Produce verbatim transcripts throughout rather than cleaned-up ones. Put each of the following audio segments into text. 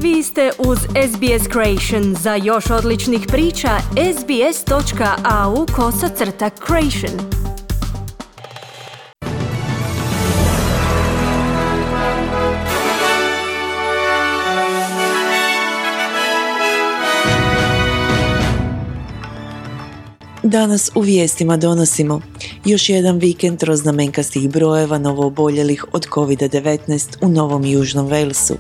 Vi ste uz S B S Creation. Za još odličnih priča, sbs.au kosacrta creation. Danas u vijestima donosimo još jedan vikend troznamenkastih brojeva novooboljelih od kovid devetnaest u Novom Južnom Walesu.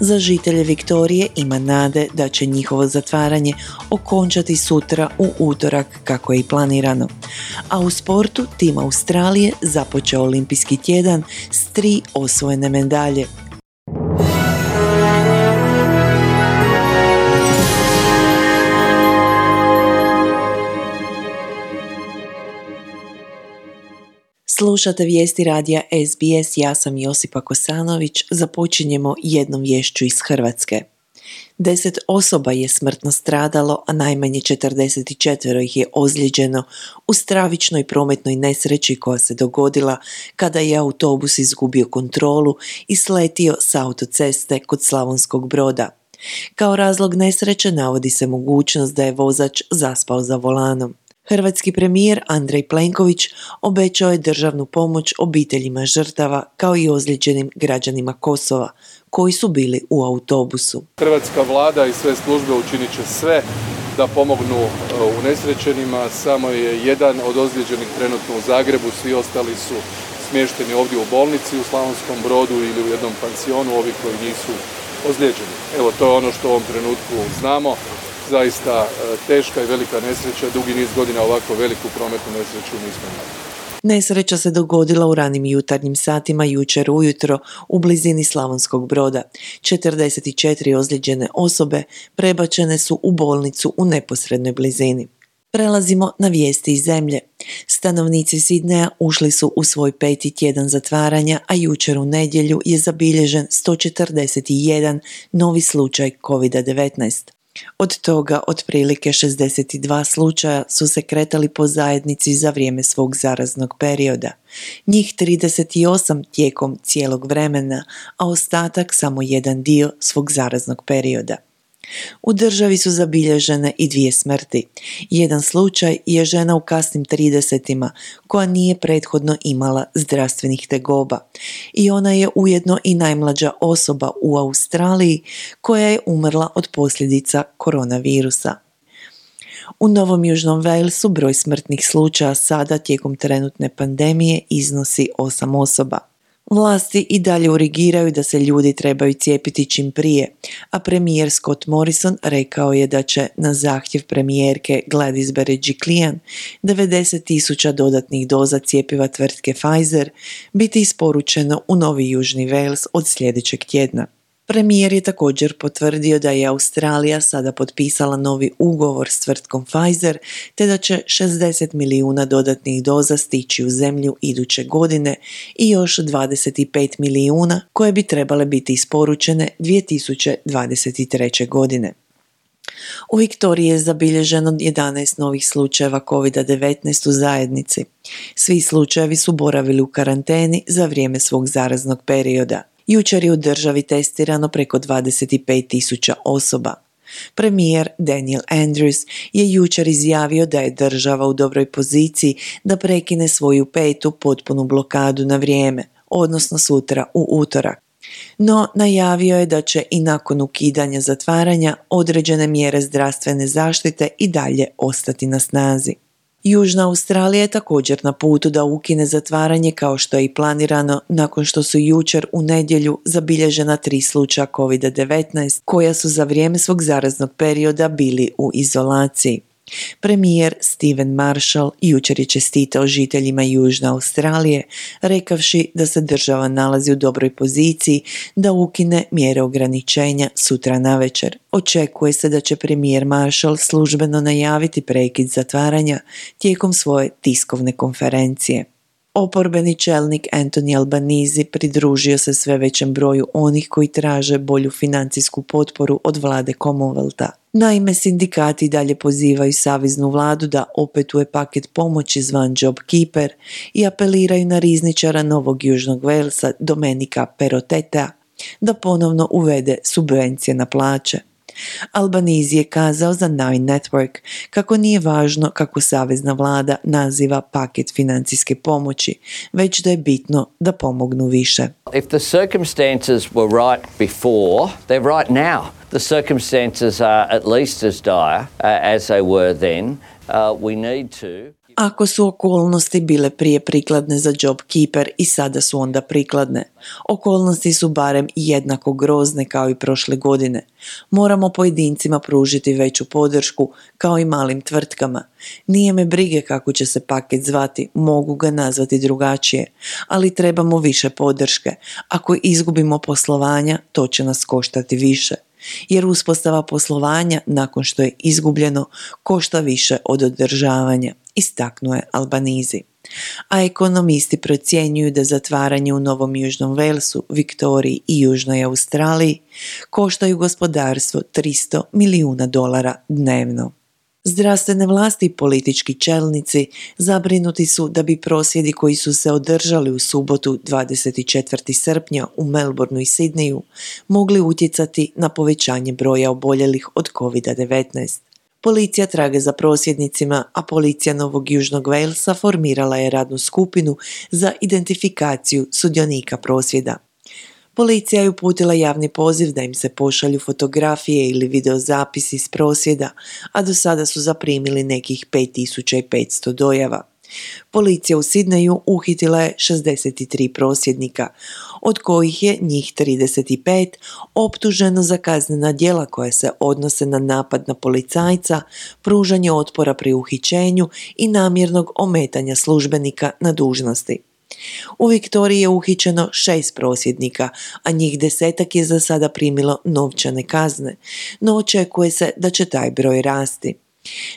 Za žitelje Viktorije ima nade da će njihovo zatvaranje okončati sutra u utorak kako je i planirano. A u sportu tim Australije započeo olimpijski tjedan s tri osvojene medalje. Slušate vijesti radija S B S, ja sam Josipa Kosanović, započinjemo jednom viješću iz Hrvatske. Deset osoba je smrtno stradalo, a najmanje četrdeset četiri ih je ozlijeđeno u stravičnoj prometnoj nesreći koja se dogodila kada je autobus izgubio kontrolu i sletio s autoceste kod Slavonskog Broda. Kao razlog nesreće navodi se mogućnost da je vozač zaspao za volanom. Hrvatski premijer Andrej Plenković obećao je državnu pomoć obiteljima žrtava kao i ozlijeđenim građanima Kosova koji su bili u autobusu. Hrvatska vlada i sve službe učinit će sve da pomognu unesrećenima. Samo je jedan od ozlijeđenih trenutno u Zagrebu, svi ostali su smješteni ovdje u bolnici u Slavonskom Brodu ili u jednom pansionu, ovi koji nisu ozlijeđeni. Evo, to je ono što u ovom trenutku znamo. Zaista teška i velika nesreća, dugi niz godina ovako veliku prometnu nesreću nismo imali. Nesreća se dogodila u ranim jutarnjim satima jučer ujutro u blizini Slavonskog Broda. četrdeset četiri ozlijeđene osobe prebačene su u bolnicu u neposrednoj blizini. Prelazimo na vijesti iz zemlje. Stanovnici Sidneja ušli su u svoj peti tjedan zatvaranja, a jučer u nedjelju je zabilježen sto četrdeset jedan novi slučaj kovid devetnaest. Od toga otprilike šezdeset dva slučaja su se kretali po zajednici za vrijeme svog zaraznog perioda. Njih trideset osam tijekom cijelog vremena, a ostatak samo jedan dio svog zaraznog perioda. U državi su zabilježene i dvije smrti. Jedan slučaj je žena u kasnim tridesetima koja nije prethodno imala zdravstvenih tegoba i ona je ujedno i najmlađa osoba u Australiji koja je umrla od posljedica koronavirusa. U Novom Južnom Walesu broj smrtnih slučaja sada tijekom trenutne pandemije iznosi osam osoba. Vlasti i dalje urgiraju da se ljudi trebaju cijepiti čim prije, a Scott Morrison rekao je da će na zahtjev premijerke Gladys Berejiklian devedeset tisuća dodatnih doza cjepiva tvrtke Pfizer biti isporučeno u Novi Južni Wales od sljedećeg tjedna. Premijer je također potvrdio da je Australija sada potpisala novi ugovor s tvrtkom Pfizer te da će šezdeset milijuna dodatnih doza stići u zemlju iduće godine i još dvadeset pet milijuna koje bi trebale biti isporučene dvije tisuće dvadeset treće. godine. U Viktoriji je zabilježeno jedanaest novih slučajeva kovid devetnaest u zajednici. Svi slučajevi su boravili u karanteni za vrijeme svog zaraznog perioda. Jučer je u državi testirano preko dvadeset pet tisuća osoba. Premijer Daniel Andrews je jučer izjavio da je država u dobroj poziciji da prekine svoju petu potpunu blokadu na vrijeme, odnosno sutra u utorak. No najavio je da će i nakon ukidanja zatvaranja određene mjere zdravstvene zaštite i dalje ostati na snazi. Južna Australija je također na putu da ukine zatvaranje kao što je i planirano nakon što su jučer u nedjelju zabilježena tri slučaja kovid devetnaest koja su za vrijeme svog zaraznog perioda bili u izolaciji. Premijer Stephen Marshall jučer je čestitao žiteljima Južne Australije, rekavši da se država nalazi u dobroj poziciji da ukine mjere ograničenja sutra navečer. Očekuje se da će premijer Marshall službeno najaviti prekid zatvaranja tijekom svoje tiskovne konferencije. Oporbeni čelnik Anthony Albanese pridružio se sve većem broju onih koji traže bolju financijsku potporu od vlade Commonwealtha. Naime, sindikati dalje pozivaju saveznu vladu da opetuje paket pomoći zvan JobKeeper i apeliraju na rizničara Novog Južnog Walesa Domenica Perrotteta da ponovno uvede subvencije na plaće. Albanese je kazao za Nine Network kako nije važno kako savezna vlada naziva paket financijske pomoći, već da je bitno da pomognu više. If the circumstances were right before, they're right now. The circumstances are at least as dire uh, as they were then. Uh, we need to... Ako su okolnosti bile prije prikladne za JobKeeper i sada su onda prikladne, okolnosti su barem jednako grozne kao i prošle godine. Moramo pojedincima pružiti veću podršku kao i malim tvrtkama. Nije me brige kako će se paket zvati, mogu ga nazvati drugačije, ali trebamo više podrške. Ako izgubimo poslovanja, to će nas koštati više. Jer uspostava poslovanja nakon što je izgubljeno košta više od održavanja, istaknuo je Albanese. A ekonomisti procjenjuju da zatvaranje u Novom Južnom Walesu, Viktoriji i Južnoj Australiji koštaju gospodarstvo tristo milijuna dolara dnevno. Zdravstvene vlasti i politički čelnici zabrinuti su da bi prosvjedi koji su se održali u subotu dvadeset četvrtog srpnja u Melbourneu i Sidneju mogli utjecati na povećanje broja oboljelih od kovid devetnaest. Policija traga za prosvjednicima, a policija Novog Južnog Walesa formirala je radnu skupinu za identifikaciju sudionika prosvjeda. Policija je uputila javni poziv da im se pošalju fotografije ili videozapisi iz prosvjeda, a do sada su zaprimili nekih pet tisuća petsto dojava. Policija u Sidneju uhitila je šezdeset tri prosvjednika, od kojih je njih trideset pet optuženo za kaznena djela koja se odnose na napad na policajca, pružanje otpora pri uhićenju i namjernog ometanja službenika na dužnosti. U Viktoriji je uhićeno šest prosvjednika, a njih desetak je za sada primilo novčane kazne, no očekuje se da će taj broj rasti.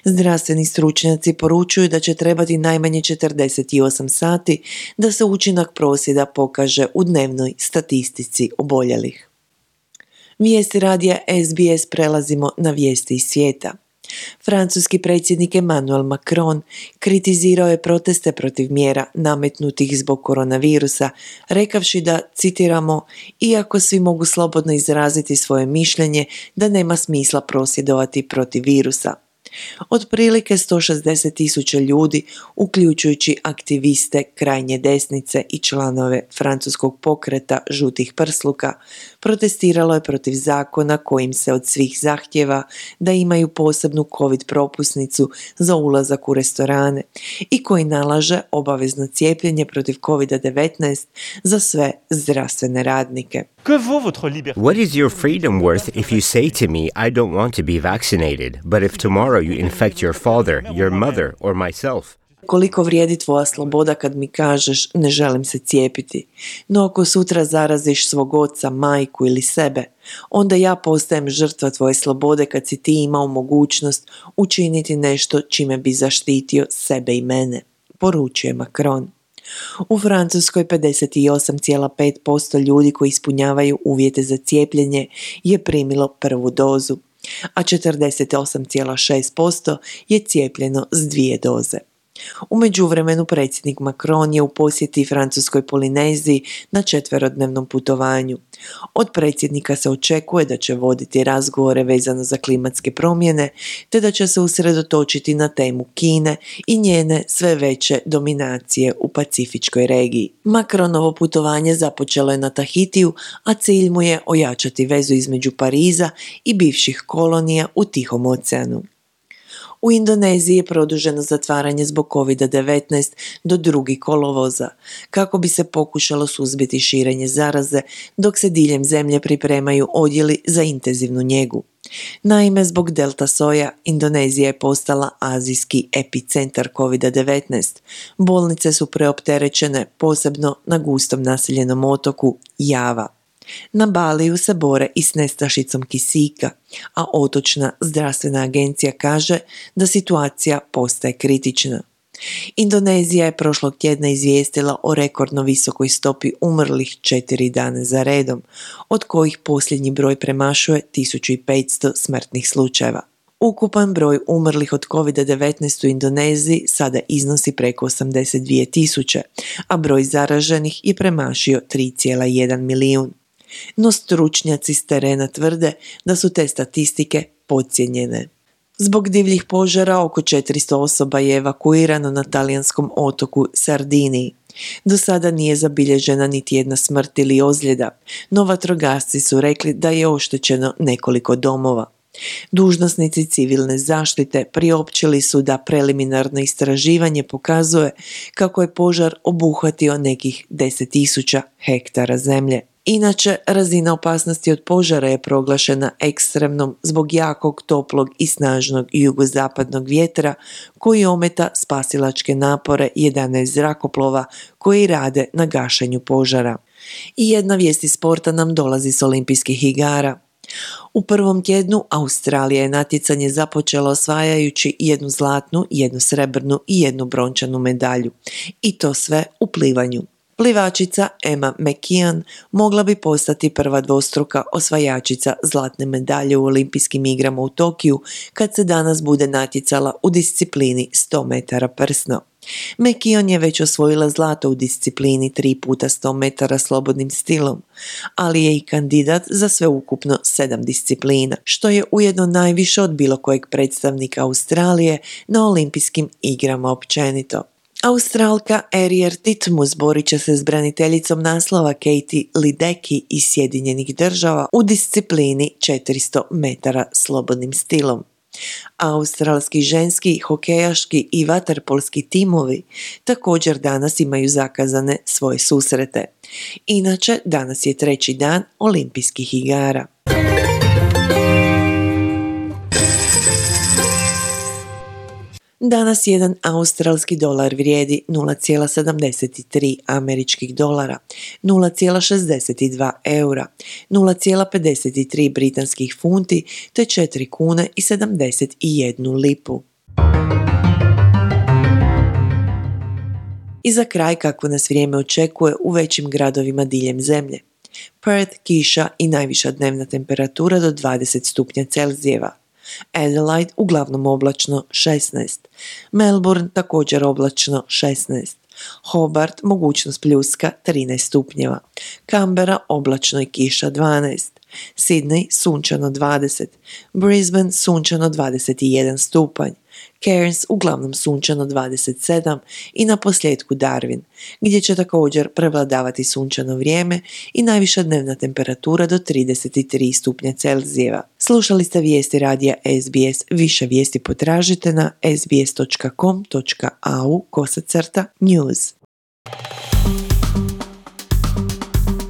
Zdravstveni stručnjaci poručuju da će trebati najmanje četrdeset osam sati da se učinak prosvjeda pokaže u dnevnoj statistici oboljelih. Vijesti radija S B S prelazimo na vijesti iz svijeta. Francuski predsjednik Emmanuel Macron kritizirao je proteste protiv mjera nametnutih zbog koronavirusa, rekavši da, citiramo, iako svi mogu slobodno izraziti svoje mišljenje da nema smisla prosvjedovati protiv virusa. Otprilike sto šezdeset tisuća ljudi, uključujući aktiviste krajnje desnice i članove francuskog pokreta žutih prsluka, protestiralo je protiv zakona kojim se od svih zahtjeva da imaju posebnu covid propusnicu za ulazak u restorane i koji nalaže obavezno cijepljenje protiv kovid devetnaest za sve zdravstvene radnike. What is your freedom worth if you say to me, I don't want to be vaccinated, but if tomorrow you infect your father, your mother or myself? Koliko vrijedi tvoja sloboda kad mi kažeš ne želim se cijepiti, no ako sutra zaraziš svog oca, majku ili sebe, onda ja postajem žrtva tvoje slobode kad si ti imao mogućnost učiniti nešto čime bi zaštitio sebe i mene, poručuje Macron. U Francuskoj pedeset osam zarez pet posto ljudi koji ispunjavaju uvjete za cijepljenje je primilo prvu dozu, a četrdeset osam zarez šest posto je cijepljeno s dvije doze. U međuvremenu predsjednik Macron je u posjeti Francuskoj Polineziji na četverodnevnom putovanju. Od predsjednika se očekuje da će voditi razgovore vezano za klimatske promjene, te da će se usredotočiti na temu Kine i njene sve veće dominacije u pacifičkoj regiji. Macronovo putovanje započelo je na Tahitiju, a cilj mu je ojačati vezu između Pariza i bivših kolonija u Tihom oceanu. U Indoneziji je produženo zatvaranje zbog kovid devetnaest do drugog kolovoza, kako bi se pokušalo suzbiti širenje zaraze, dok se diljem zemlje pripremaju odjeli za intenzivnu njegu. Naime, zbog delta soja, Indonezija je postala azijski epicentar kovid devetnaest. Bolnice su preopterećene, posebno na gustom naseljenom otoku Java. Na Baliju se bore i s nestašicom kisika, a otočna zdravstvena agencija kaže da situacija postaje kritična. Indonezija je prošlog tjedna izvijestila o rekordno visokoj stopi umrlih četiri dana za redom, od kojih posljednji broj premašuje tisuću petsto smrtnih slučajeva. Ukupan broj umrlih od kovid devetnaest u Indoneziji sada iznosi preko osamdeset dvije tisuće, a broj zaraženih je premašio tri zarez jedan milijun. No stručnjaci s terena tvrde da su te statistike podcijenjene. Zbog divljih požara oko četiristo osoba je evakuirano na talijanskom otoku Sardiniji. Do sada nije zabilježena niti jedna smrt ili ozljeda, no vatrogasci su rekli da je oštećeno nekoliko domova. Dužnosnici civilne zaštite priopćili su da preliminarno istraživanje pokazuje kako je požar obuhvatio nekih deset tisuća hektara zemlje. Inače, razina opasnosti od požara je proglašena ekstremnom zbog jakog, toplog i snažnog jugozapadnog vjetra koji ometa spasilačke napore jedanaest zrakoplova koji rade na gašenju požara. I jedna vijest iz sporta nam dolazi s olimpijskih igara. U prvom tjednu Australija je natjecanje započela osvajajući jednu zlatnu, jednu srebrnu i jednu brončanu medalju. I to sve u plivanju. Plivačica Emma McKeon mogla bi postati prva dvostruka osvajačica zlatne medalje u olimpijskim igrama u Tokiju kad se danas bude natjecala u disciplini sto metara prsno. McKeon je već osvojila zlato u disciplini tri puta sto metara slobodnim stilom, ali je i kandidat za sveukupno sedam disciplina, što je ujedno najviše od bilo kojeg predstavnika Australije na olimpijskim igrama općenito. Australka Ariel Titmus borit će se s braniteljicom naslova Katie Ledecky iz Sjedinjenih država u disciplini četiristo metara slobodnim stilom. Australski ženski, hokejaški i vaterpolski timovi također danas imaju zakazane svoje susrete. Inače, danas je treći dan olimpijskih igara. Danas jedan australski dolar vrijedi nula zarez sedamdeset tri američkih dolara, nula zarez šezdeset dva eura, nula zarez pedeset tri britanskih funti te četiri kune i sedamdeset jednu lipu. I za kraj kako nas vrijeme očekuje u većim gradovima diljem zemlje. Perth kiša i najviša dnevna temperatura do dvadeset stupnja Celzijeva. Adelaide uglavnom oblačno šesnaest, Melbourne također oblačno šesnaest, Hobart mogućnost pljuska trinaest stupnjeva, Canberra oblačno i kiša dvanaest, Sydney sunčano dvadeset, Brisbane sunčano dvadeset jedan stupanj, Cairns uglavnom sunčano dvadeset sedam i na posljedku Darwin, gdje će također prevladavati sunčano vrijeme i najviša dnevna temperatura do trideset tri stupnja Celzijeva. Slušali ste vijesti radija S B S, više vijesti potražite na sbs točka com točka au kosacrta news.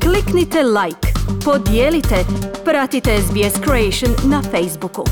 Kliknite like, podijelite, pratite S B S Creation na Facebooku.